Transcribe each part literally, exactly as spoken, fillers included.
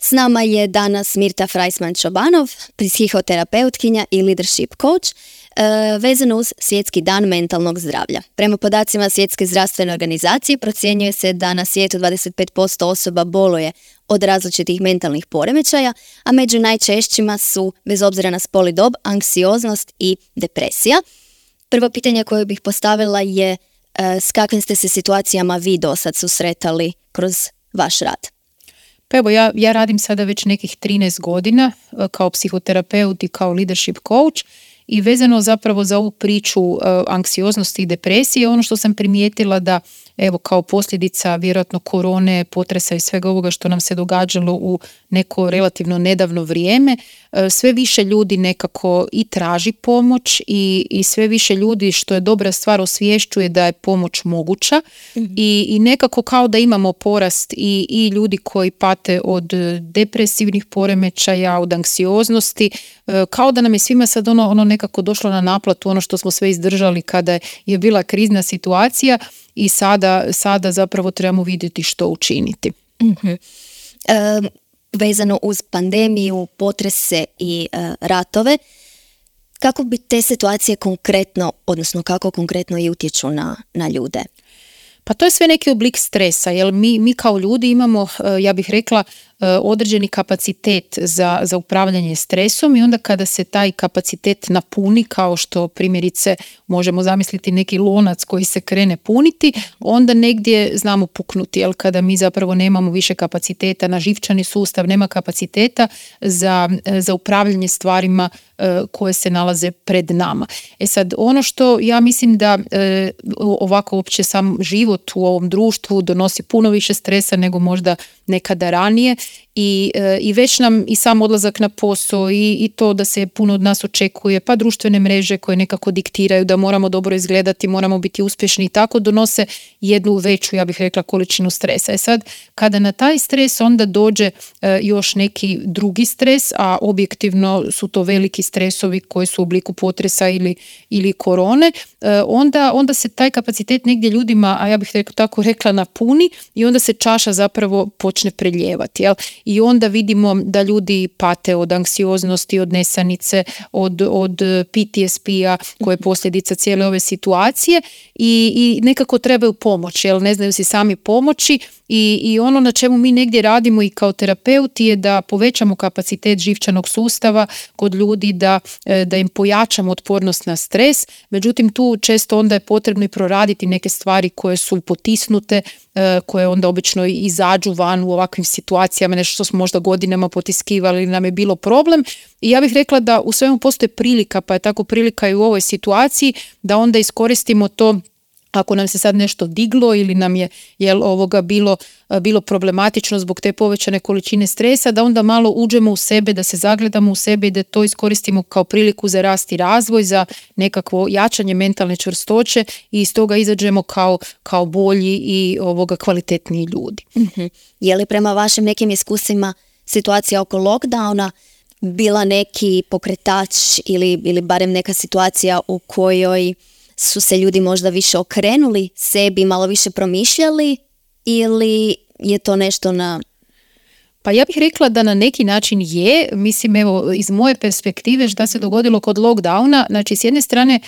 S nama je danas Mirta Freisman-Čobanov, psihoterapeutkinja i leadership coach, e, vezano uz Svjetski dan mentalnog zdravlja. Prema podacima Svjetske zdravstvene organizacije procjenjuje se da na svijetu dvadeset pet posto osoba boluje od različitih mentalnih poremećaja, a među najčešćima su, bez obzira na spol i dob, anksioznost i depresija. Prvo pitanje koje bih postavila je e, s kakvim ste se situacijama vi do sad susretali kroz vaš rad? Pa evo, ja, ja radim sada već nekih trinaest godina kao psihoterapeut i kao leadership coach i vezano zapravo za ovu priču uh, anksioznosti i depresije, ono što sam primijetila da evo kao posljedica vjerojatno korone, potresa i svega ovoga što nam se događalo u neko relativno nedavno vrijeme, sve više ljudi nekako i traži pomoć i, i sve više ljudi, što je dobra stvar, osvješćuje da je pomoć moguća mm-hmm. I, i nekako kao da imamo porast i, i ljudi koji pate od depresivnih poremećaja, od anksioznosti, kao da nam je svima sad ono, ono nekako došlo na naplatu, ono što smo sve izdržali kada je bila krizna situacija. I sada, sada zapravo trebamo vidjeti što učiniti. Mm-hmm. E, vezano uz pandemiju, potrese i e, ratove, kako bi te situacije konkretno, odnosno kako konkretno i utječu na, na ljude? Pa to je sve neki oblik stresa, jer mi, mi kao ljudi imamo, ja bih rekla, određeni kapacitet za, za upravljanje stresom i onda kada se taj kapacitet napuni, kao što primjerice možemo zamisliti neki lonac koji se krene puniti, onda negdje znamo puknuti, jer kada mi zapravo nemamo više kapaciteta na živčani sustav, nema kapaciteta za, za upravljanje stvarima koje se nalaze pred nama. E sad, ono što ja mislim da e, ovako uopće sam život u ovom društvu donosi puno više stresa nego možda nekada ranije i, e, i već nam i sam odlazak na posao i, i to da se puno od nas očekuje, pa društvene mreže koje nekako diktiraju da moramo dobro izgledati, moramo biti uspješni i tako donose jednu veću, ja bih rekla, količinu stresa. E sad, kada na taj stres onda dođe e, još neki drugi stres, a objektivno su to veliki stresovi koji su u obliku potresa ili, ili korone, e, onda, onda se taj kapacitet negdje ljudima, a ja bih rekla, tako rekla, napuni i onda se čaša zapravo počne preljevati. Jel? I onda vidimo da ljudi pate od anksioznosti, od nesanice, od, od P T S P-a koje je posljedica cijele ove situacije i, i nekako trebaju pomoć, jel? Ne znaju si sami pomoći. I, I ono na čemu mi negdje radimo i kao terapeuti je da povećamo kapacitet živčanog sustava kod ljudi, da, da im pojačamo otpornost na stres. Međutim, tu često onda je potrebno i proraditi neke stvari koje su potisnute, koje onda obično izađu van u ovakvim situacijama, nešto što smo možda godinama potiskivali ili nam je bilo problem. I ja bih rekla da u svemu postoji prilika, pa je tako prilika i u ovoj situaciji, da onda iskoristimo to. Ako nam se sad nešto diglo ili nam je jel, ovoga bilo, bilo problematično zbog te povećane količine stresa, da onda malo uđemo u sebe, da se zagledamo u sebe i da to iskoristimo kao priliku za rast i razvoj, za nekakvo jačanje mentalne čvrstoće i iz toga izađemo kao, kao bolji i ovoga kvalitetniji ljudi. Mm-hmm. Je li prema vašim nekim iskustvima situacija oko lockdowna bila neki pokretač ili, ili barem neka situacija u kojoj su se ljudi možda više okrenuli sebi, malo više promišljali ili je to nešto na... Pa ja bih rekla da na neki način je, mislim evo iz moje perspektive šta se dogodilo kod lockdowna, znači s jedne strane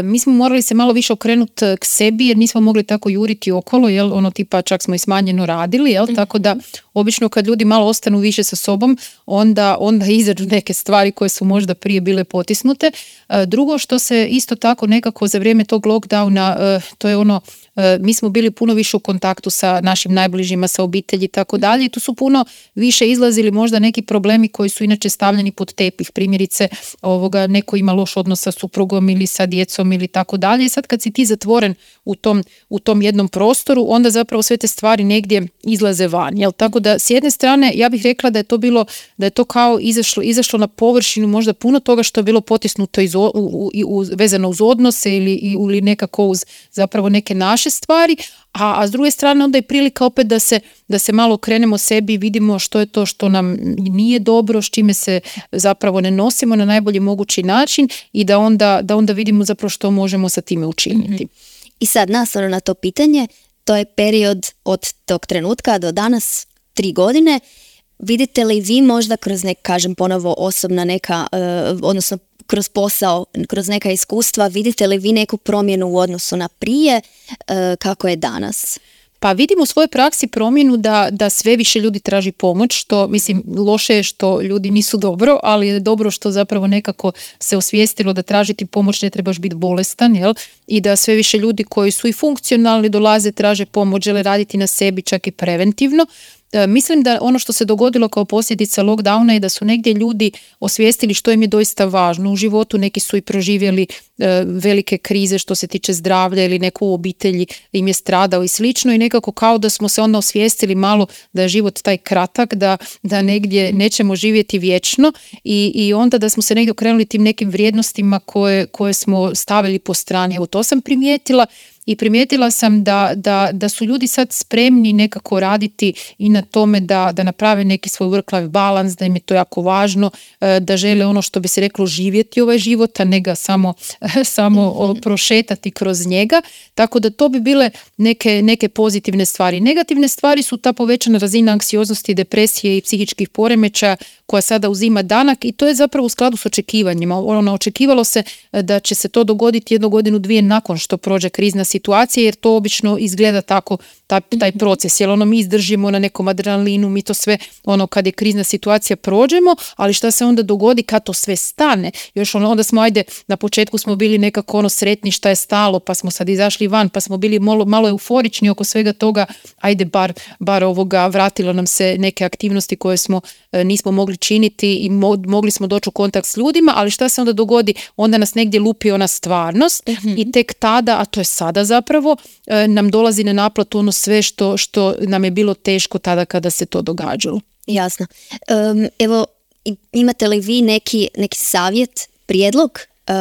mi smo morali se malo više okrenuti k sebi jer nismo mogli tako juriti okolo, jel, ono tipa čak smo i smanjeno radili, jel, tako da obično kad ljudi malo ostanu više sa sobom, onda, onda izađu neke stvari koje su možda prije bile potisnute. Drugo što se isto tako nekako za vrijeme tog lockdowna, to je ono, mi smo bili puno više u kontaktu sa našim najbližima, sa obitelji i tako dalje i tu su puno više izlazili možda neki problemi koji su inače stavljeni pod tepih, primjerice ovoga, neko ima loš odnos sa suprugom ili sa djecom ili tako dalje i sad kad si ti zatvoren u tom, u tom jednom prostoru, onda zapravo sve te stvari negdje izlaze van, jel? Tako da s jedne strane ja bih rekla da je to bilo, da je to kao izašlo, izašlo na površinu možda puno toga što je bilo potisnuto iz, u, u, u, vezano uz odnose ili, ili nekako uz zapravo neke naše stvari, a, a s druge strane onda je prilika opet da se, da se malo okrenemo sebi i vidimo što je to što nam nije dobro, s čime se zapravo ne nosimo na najbolji mogući način i da onda, da onda vidimo zapravo što možemo sa time učiniti. Mm-hmm. I sad nastavno na to pitanje, to je period od tog trenutka do danas, tri godine. vidite li vi možda kroz nek, kažem ponovo osobna neka, uh, odnosno kroz posao, kroz neka iskustva, vidite li vi neku promjenu u odnosu na prije, uh, kako je danas? Pa vidimo u svojoj praksi promjenu da, da sve više ljudi traži pomoć, što mislim loše je što ljudi nisu dobro, ali je dobro što zapravo nekako se osvijestilo da tražiti pomoć ne trebaš biti bolestan, jel? I da sve više ljudi koji su i funkcionalni dolaze, traže pomoć, žele raditi na sebi čak i preventivno. Mislim da ono što se dogodilo kao posljedica lockdowna je da su negdje ljudi osvijestili što im je doista važno u životu. Neki su i proživjeli e, velike krize što se tiče zdravlja ili neko u obitelji im je stradao i slično i nekako kao da smo se onda osvijestili malo da je život taj kratak, da, da negdje nećemo živjeti vječno i, i onda da smo se negdje okrenuli tim nekim vrijednostima koje, koje smo stavili po strani. Evo to sam primijetila. I primijetila sam da, da, da su ljudi sad spremni nekako raditi i na tome da, da naprave neki svoj work-life balans, da im je to jako važno, da žele ono što bi se reklo živjeti ovaj život, a ne ga samo, samo prošetati kroz njega. Tako da to bi bile neke, neke pozitivne stvari. Negativne stvari su ta povećana razina anksioznosti, depresije i psihičkih poremećaja koja sada uzima danak i to je zapravo u skladu s očekivanjima. Ono, očekivalo se da će se to dogoditi jednu godinu, dvije nakon što prođe krizna situacija, jer to obično izgleda tako, taj, taj proces, jer ono mi izdržimo na nekom adrenalinu, mi to sve, ono kad je krizna situacija prođemo, ali šta se onda dogodi kad to sve stane? Još ono, onda smo, ajde, na početku smo bili nekako ono sretni šta je stalo, pa smo sad izašli van, pa smo bili malo, malo euforični oko svega toga, ajde, bar, bar ovoga, vratilo nam se neke aktivnosti koje smo e, nismo mogli činiti i mo- mogli smo doći u kontakt s ljudima, ali šta se onda dogodi? Onda nas negdje lupi ona stvarnost mm-hmm. i tek tada, a to je sada zapravo, e, nam dolazi na naplatu ono sve što, što nam je bilo teško tada kada se to događalo. Jasno. Um, evo, imate li vi neki, neki savjet, prijedlog uh,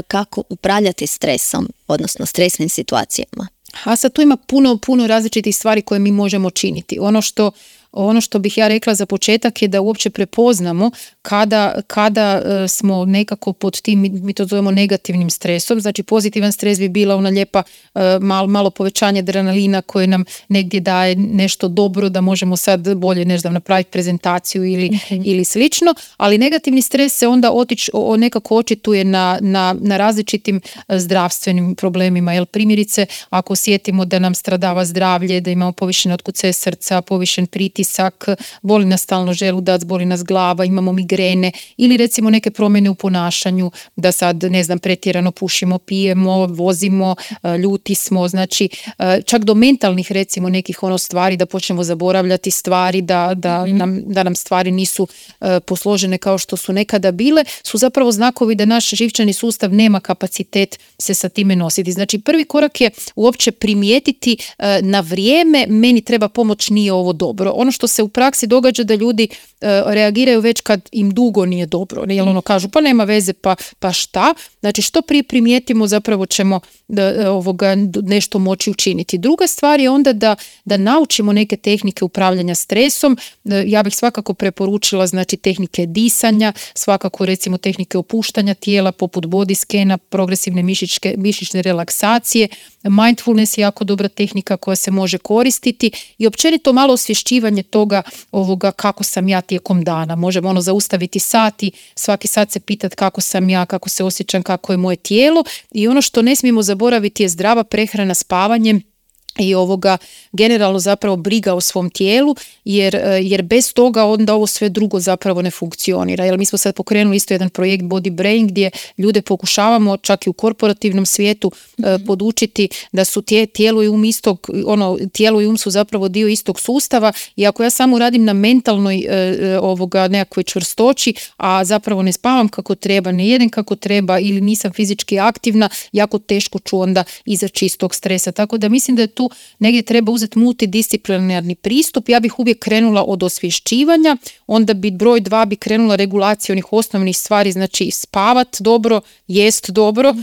kako upravljati stresom, odnosno stresnim situacijama? A sad tu ima puno, puno različitih stvari koje mi možemo činiti. Ono što Ono što bih ja rekla za početak je da uopće prepoznamo kada, kada e, smo nekako pod tim, mi to zovemo negativnim stresom, znači pozitivan stres bi bila ona lijepa e, malo, malo povećanje adrenalina koje nam negdje daje nešto dobro da možemo sad bolje ne znam, napraviti prezentaciju ili, mm-hmm. ili slično, ali negativni stres se onda otič, o, nekako očituje na, na, na različitim zdravstvenim problemima, jer primjerice ako osjetimo da nam stradava zdravlje, da imamo povišene otkucaje srca, povišen pritisak, boli nas stalno želudac, boli nas glava, imamo migrene ili recimo neke promjene u ponašanju, da sad ne znam pretjerano pušimo, pijemo, vozimo, ljuti smo, znači čak do mentalnih recimo nekih ono stvari da počnemo zaboravljati stvari, da, da, mm-hmm. nam, da nam stvari nisu uh, posložene kao što su nekada bile, su zapravo znakovi da naš živčani sustav nema kapacitet se sa time nositi. Znači prvi korak je uopće primijetiti uh, na vrijeme meni treba pomoć, nije ovo dobro. Ono što se u praksi događa da ljudi uh, reagiraju već kad im dugo nije dobro, ne, jer ono kažu pa nema veze, pa, pa šta? Znači što prije primijetimo zapravo ćemo da, ovoga, nešto moći učiniti. Druga stvar je onda da, da naučimo neke tehnike upravljanja stresom. Ja bih svakako preporučila znači tehnike disanja, svakako recimo tehnike opuštanja tijela poput body skena, progresivne mišićke, mišićne relaksacije. Mindfulness je jako dobra tehnika koja se može koristiti i općenito malo osvješćivanje toga ovoga kako sam ja tijekom dana. Možemo ono zaustaviti sat i svaki sat se pitati kako sam ja, kako se osjećam, kako je moje tijelo i ono što ne smijemo zaboraviti je zdrava prehrana, spavanje i ovoga generalno zapravo briga o svom tijelu, jer, jer bez toga onda ovo sve drugo zapravo ne funkcionira. Jer mi smo sad pokrenuli isto jedan projekt Body Brain gdje ljude pokušavamo čak i u korporativnom svijetu mm-hmm. podučiti da su tije, tijelo i um istog, ono, tijelo i um su zapravo dio istog sustava i ako ja samo radim na mentalnoj e, ovoga nekakvoj čvrstoći, a zapravo ne spavam kako treba, ne jedem kako treba ili nisam fizički aktivna, jako teško ću onda izaći iz tog stresa. Tako da mislim da je tu negdje treba uzeti multidisciplinarni pristup. Ja bih uvijek krenula od osvješćivanja, onda bi broj dva bi krenula regulacija onih osnovnih stvari, znači spavat dobro, jest dobro,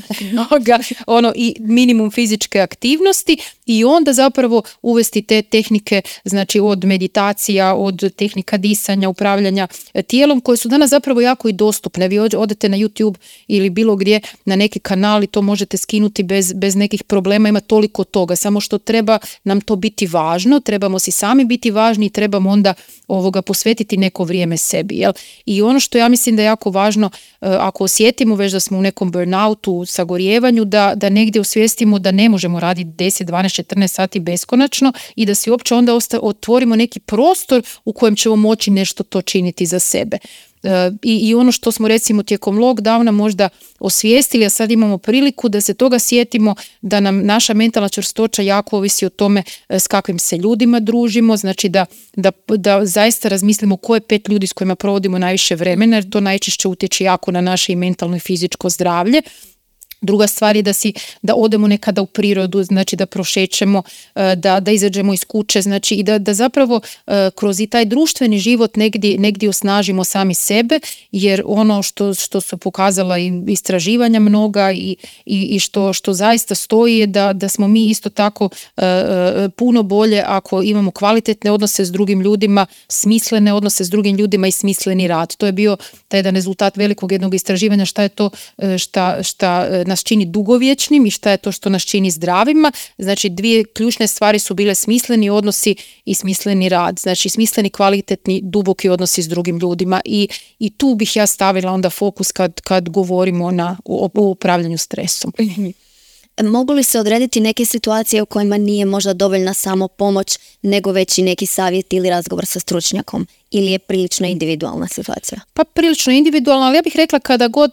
ono i minimum fizičke aktivnosti i onda zapravo uvesti te tehnike, znači od meditacija, od tehnika disanja, upravljanja tijelom koje su danas zapravo jako i dostupne. Vi odete na YouTube ili bilo gdje na neki kanal i to možete skinuti bez, bez nekih problema, ima toliko toga, samo što treba treba nam to biti važno, trebamo si sami biti važni i trebamo onda ovoga posvetiti neko vrijeme sebi. Jel? I ono što ja mislim da je jako važno, ako osjetimo već da smo u nekom burnoutu, sagorijevanju, da, da negdje osvijestimo da ne možemo raditi deset, dvanaest, četrnaest sati beskonačno i da si uopće onda osta, otvorimo neki prostor u kojem ćemo moći nešto to činiti za sebe. I, i ono što smo recimo tijekom lockdowna možda osvijestili, a sad imamo priliku da se toga sjetimo, da nam naša mentalna čvrstoća jako ovisi o tome s kakvim se ljudima družimo, znači da, da, da zaista razmislimo koje pet ljudi s kojima provodimo najviše vremena, jer to najčešće utječe jako na naše i mentalno i fizičko zdravlje. Druga stvar je da, si, da odemo nekada u prirodu, znači da prošećemo, da, da izađemo iz kuće, znači i da, da zapravo kroz i taj društveni život negdje, negdje osnažimo sami sebe, jer ono što, što su pokazala i istraživanja mnoga i, i, i što, što zaista stoji je da, da smo mi isto tako uh, puno bolje ako imamo kvalitetne odnose s drugim ljudima, smislene odnose s drugim ljudima i smisleni rad. To je bio taj jedan rezultat velikog jednog istraživanja šta je to šta, šta nas čini dugovječnim i šta je to što nas čini zdravima. Znači dvije ključne stvari su bile smisleni odnosi i smisleni rad. Znači smisleni, kvalitetni, duboki odnosi s drugim ljudima i, i tu bih ja stavila onda fokus kad, kad govorimo na, o, o upravljanju stresom. Mogu li se odrediti neke situacije u kojima nije možda dovoljna samo pomoć, nego već i neki savjet ili razgovor sa stručnjakom? Ili je prilično individualna situacija? Pa prilično individualna, ali ja bih rekla kada god,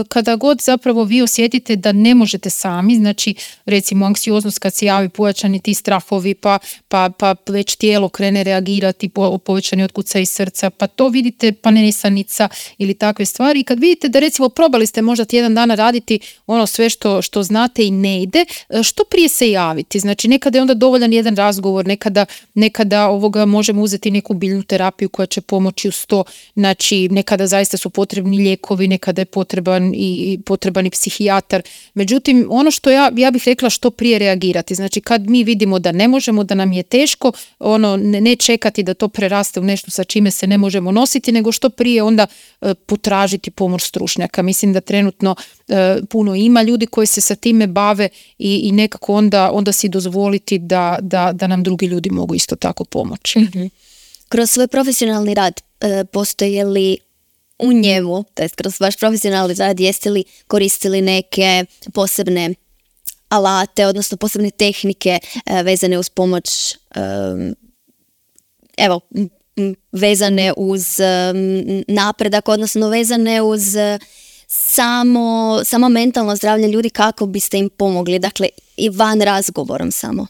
kada god zapravo vi osjetite da ne možete sami, znači recimo anksioznost kad se javi, pojačani ti strahovi, pa, pa, pa već tijelo krene reagirati, po, povećani otkucaj iz srca, pa to vidite, pa nesanica ili takve stvari. I kad vidite da recimo probali ste možda tjedan dana raditi ono sve što, što znate i ne ide, što prije se javiti. Znači nekada je onda dovoljan jedan razgovor, nekada, nekada ovoga možemo uzeti neku biljnu terapiju koja će pomoći uz to, znači nekada zaista su potrebni lijekovi, nekada je potreban i, i potreban i psihijatar. Međutim, ono što ja, ja bih rekla što prije reagirati, znači kad mi vidimo da ne možemo, da nam je teško, ono ne, ne čekati da to preraste u nešto sa čime se ne možemo nositi, nego što prije onda e, potražiti pomoć stručnjaka. Mislim da trenutno e, puno ima ljudi koji se sa time bave i, i nekako onda, onda si dozvoliti da, da, da nam drugi ljudi mogu isto tako pomoći. Mm-hmm. Kroz svoj profesionalni rad e, postoje li u njemu, to jest kroz vaš profesionalni rad, jeste li koristili neke posebne alate, odnosno posebne tehnike e, vezane uz pomoć, e, evo, m, vezane uz e, napredak, odnosno vezane uz e, samo, samo mentalno zdravlje ljudi, kako biste im pomogli, dakle i van razgovorom samo?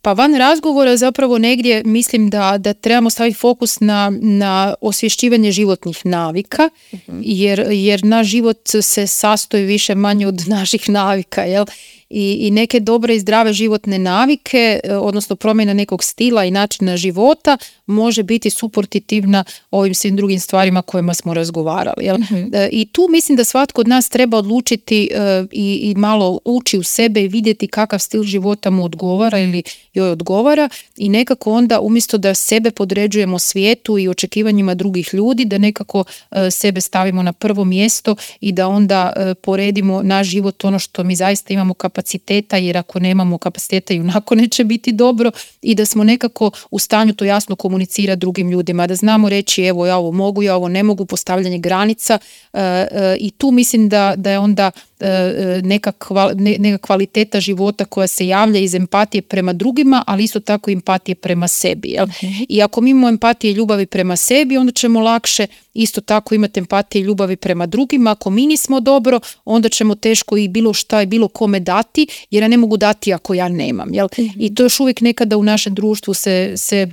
Pa van razgovora zapravo negdje mislim da, da trebamo staviti fokus na, na osvješćivanje životnih navika, uh-huh. jer, jer naš život se sastoji više manje od naših navika, jel? I, i neke dobre i zdrave životne navike, odnosno promjena nekog stila i načina života može biti suportativna ovim svim drugim stvarima kojima smo razgovarali. Jel? Mm-hmm. E, I tu mislim da svatko od nas treba odlučiti e, i, i malo ući u sebe i vidjeti kakav stil života mu odgovara ili joj odgovara i nekako onda umjesto da sebe podređujemo svijetu i očekivanjima drugih ljudi, da nekako e, sebe stavimo na prvo mjesto i da onda e, poredimo naš život ono što mi zaista imamo kapaciteta, jer ako nemamo kapaciteta i onako neće biti dobro i da smo nekako u stanju to jasno komunicirati drugim ljudima, da znamo reći evo ja ovo mogu, ja ovo ne mogu, postavljanje granica e, e, i tu mislim da, da je onda e, neka, kval, ne, neka kvaliteta života koja se javlja iz empatije prema drugima, ali isto tako empatije prema sebi. Jel? Okay. I ako mi imamo empatije i ljubavi prema sebi, onda ćemo lakše isto tako imati empatije i ljubavi prema drugima. Ako mi nismo dobro, onda ćemo teško i bilo šta i bilo kome dati, jer ja ne mogu dati ako ja nemam. Jel? Mm-hmm. I to još uvijek nekada u našem društvu se, se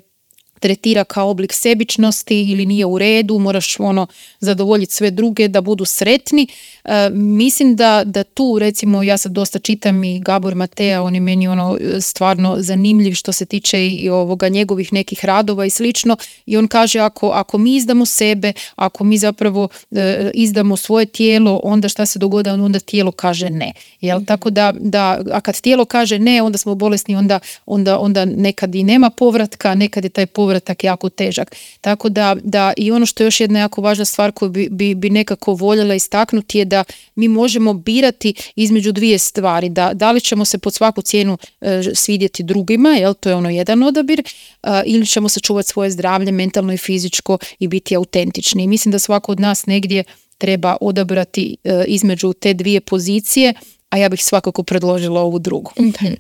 tretira kao oblik sebičnosti ili nije u redu, moraš ono zadovoljiti sve druge da budu sretni. E, mislim da, da tu recimo ja sad dosta čitam i Gabor Matea, on je meni ono stvarno zanimljiv što se tiče i ovoga njegovih nekih radova i slično i on kaže ako, ako mi izdamo sebe, ako mi zapravo e, izdamo svoje tijelo, onda šta se dogodi, onda tijelo kaže ne. Jel? Mm-hmm. Tako da, da, a kad tijelo kaže ne, onda smo bolesni, onda, onda, onda nekad i nema povratka, nekad je taj povratak povratak jako težak. Tako da, da i ono što je još jedna jako važna stvar koju bi, bi, bi nekako voljela istaknuti je da mi možemo birati između dvije stvari, da, da li ćemo se pod svaku cijenu e, svidjeti drugima, jel, to je ono jedan odabir, e, ili ćemo sačuvati svoje zdravlje mentalno i fizičko i biti autentični. I mislim da svako od nas negdje treba odabrati e, između te dvije pozicije, a ja bih svakako predložila ovu drugu. Mm-hmm.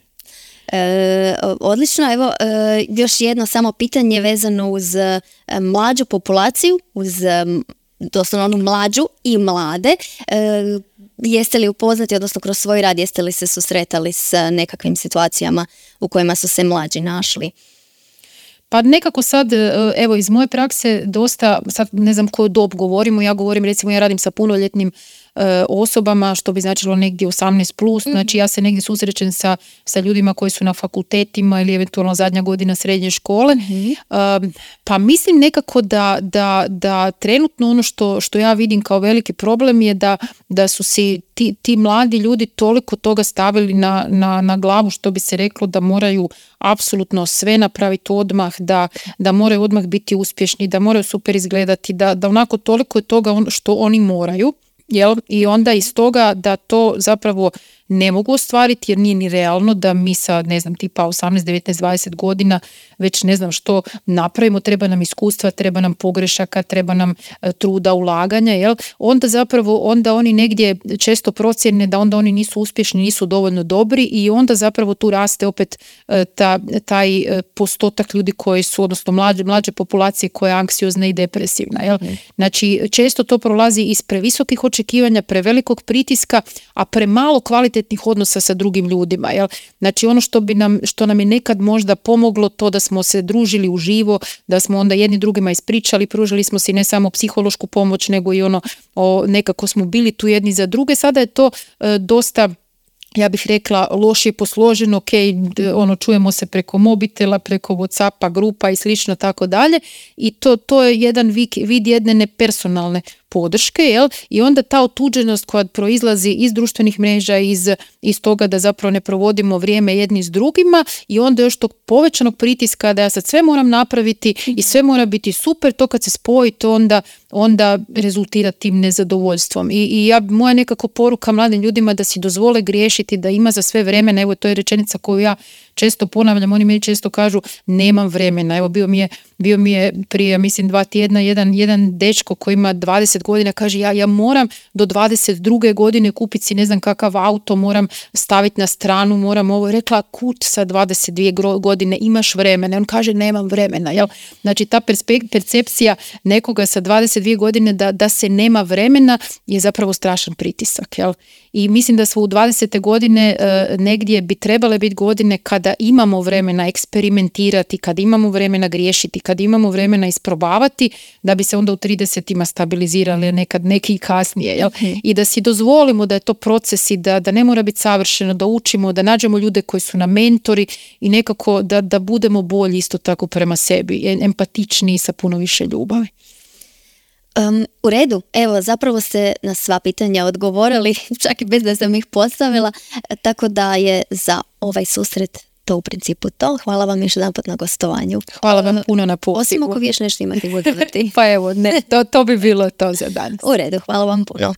E, odlično, evo e, još jedno samo pitanje vezano uz e, mlađu populaciju, uz e, doslovno onu mlađu i mlade. E, jeste li upoznati, odnosno kroz svoj rad, jeste li se susretali s nekakvim situacijama u kojima su se mlađi našli? Pa nekako sad, evo iz moje prakse dosta, sad ne znam koju dob govorimo, ja govorim recimo ja radim sa punoljetnim e, osobama, što bi značilo negdje osamnaest plus, mm-hmm. znači ja se negdje susrećem sa, sa ljudima koji su na fakultetima ili eventualno zadnja godina srednje škole, mm-hmm. e, pa mislim nekako da, da, da trenutno ono što, što ja vidim kao veliki problem je da, da su si ti, ti mladi ljudi toliko toga stavili na, na, na glavu, što bi se reklo da moraju apsolutno sve napraviti odmah, da, da moraju odmah biti uspješni, da moraju super izgledati, da, da onako toliko je toga on, što oni moraju, jel? I onda iz toga da to zapravo ne mogu ostvariti jer nije ni realno da mi sa, ne znam, tipa osamnaest, devetnaest, dvadeset godina već ne znam što napravimo, treba nam iskustva, treba nam pogrešaka, treba nam e, truda, ulaganja, jel? Onda zapravo, onda oni negdje često procjene da onda oni nisu uspješni, nisu dovoljno dobri i onda zapravo tu raste opet e, ta, taj e, postotak ljudi koji su, odnosno mlađe, mlađe populacije koja je anksiozna i depresivna, jel? Mm. Znači, često to prolazi iz previsokih očekivanja, prevelikog pritiska, a premalo kvalitetnih odnosa sa drugim ljudima, jel? Znači ono što bi nam, što nam je nekad možda pomoglo to da smo se družili uživo, da smo onda jedni drugima ispričali, pružili smo si ne samo psihološku pomoć, nego i ono, o, nekako smo bili tu jedni za druge. Sada je to e, dosta, ja bih rekla, lošije posloženo, ok, ono, čujemo se preko mobitela, preko WhatsAppa, grupa i slično tako dalje i to, to je jedan vid, vid jedne nepersonalne podrške, jel? I onda ta otuđenost koja proizlazi iz društvenih mreža, iz, iz toga da zapravo ne provodimo vrijeme jedni s drugima i onda još tog povećanog pritiska da ja sad sve moram napraviti i sve mora biti super, to kad se spoji to onda, onda rezultira tim nezadovoljstvom. I, i ja, moja nekako poruka mladim ljudima da si dozvole griješiti, da ima za sve vremena, evo to je rečenica koju ja često ponavljam, oni meni često kažu nemam vremena. Evo bio mi je, bio mi je prije, mislim, dva tjedna jedan, jedan dečko koji ima dvadeset godina, kaže ja, ja moram do dvadeset druge godine kupiti si ne znam kakav auto, moram staviti na stranu, moram ovo. Rekla, kud sa dvadeset dvije godine imaš vremena? On kaže nemam vremena. Jel? Znači ta perspek- percepcija nekoga sa dvadeset dvije godine da, da se nema vremena je zapravo strašan pritisak. Jel? I mislim da smo u dvadesete godine e, negdje bi trebale biti godine kada imamo vremena eksperimentirati, kad imamo vremena griješiti, kad imamo vremena isprobavati, da bi se onda u tridesetima stabilizirali, nekad neki i kasnije. Jel? Okay. I da si dozvolimo da je to proces i da, da ne mora biti savršeno, da učimo, da nađemo ljude koji su nam mentori i nekako da, da budemo bolji isto tako prema sebi, empatičniji sa puno više ljubavi. Um, u redu, evo zapravo ste na sva pitanja odgovorili, čak i bez da sam ih postavila, tako da je za ovaj susret to u principu to. Hvala vam još jedan put na gostovanju. Hvala vam puno na pozivu. Osim ako vi još nešto imate udodati. Pa evo, ne, to, to bi bilo to za danas. U redu, hvala vam puno.